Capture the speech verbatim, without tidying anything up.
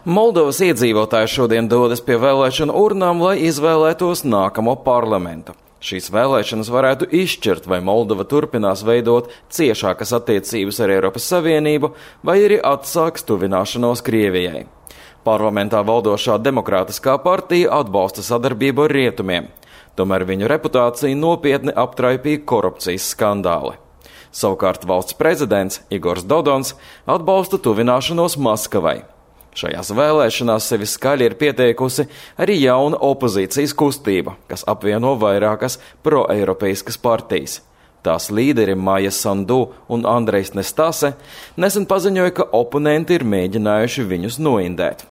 Moldovas iedzīvotāji šodien dodas pie vēlēšanu urnām, lai izvēlētos nākamo parlamentu. Šīs vēlēšanas varētu izšķirt, vai Moldova turpinās veidot ciešākas attiecības ar Eiropas Savienību, vai arī atsāks tuvināšanos Krievijai. Parlamentā valdošā demokrātiskā partija atbalsta sadarbību ar rietumiem, tomēr viņu reputāciju nopietni aptraipīja korupcijas skandāli. Savukārt valsts prezidents Igors Dodons atbalsta tuvināšanos Maskavai. Šajās vēlēšanās sevi skaļi ir pieteikusi arī jauna opozīcijas kustība, kas apvieno vairākas proeiropeiskas partijas. Tās līderi Maja Sandu un Andrejs Nestase nesen paziņoja, ka oponenti ir mēģinājuši viņus noindēt.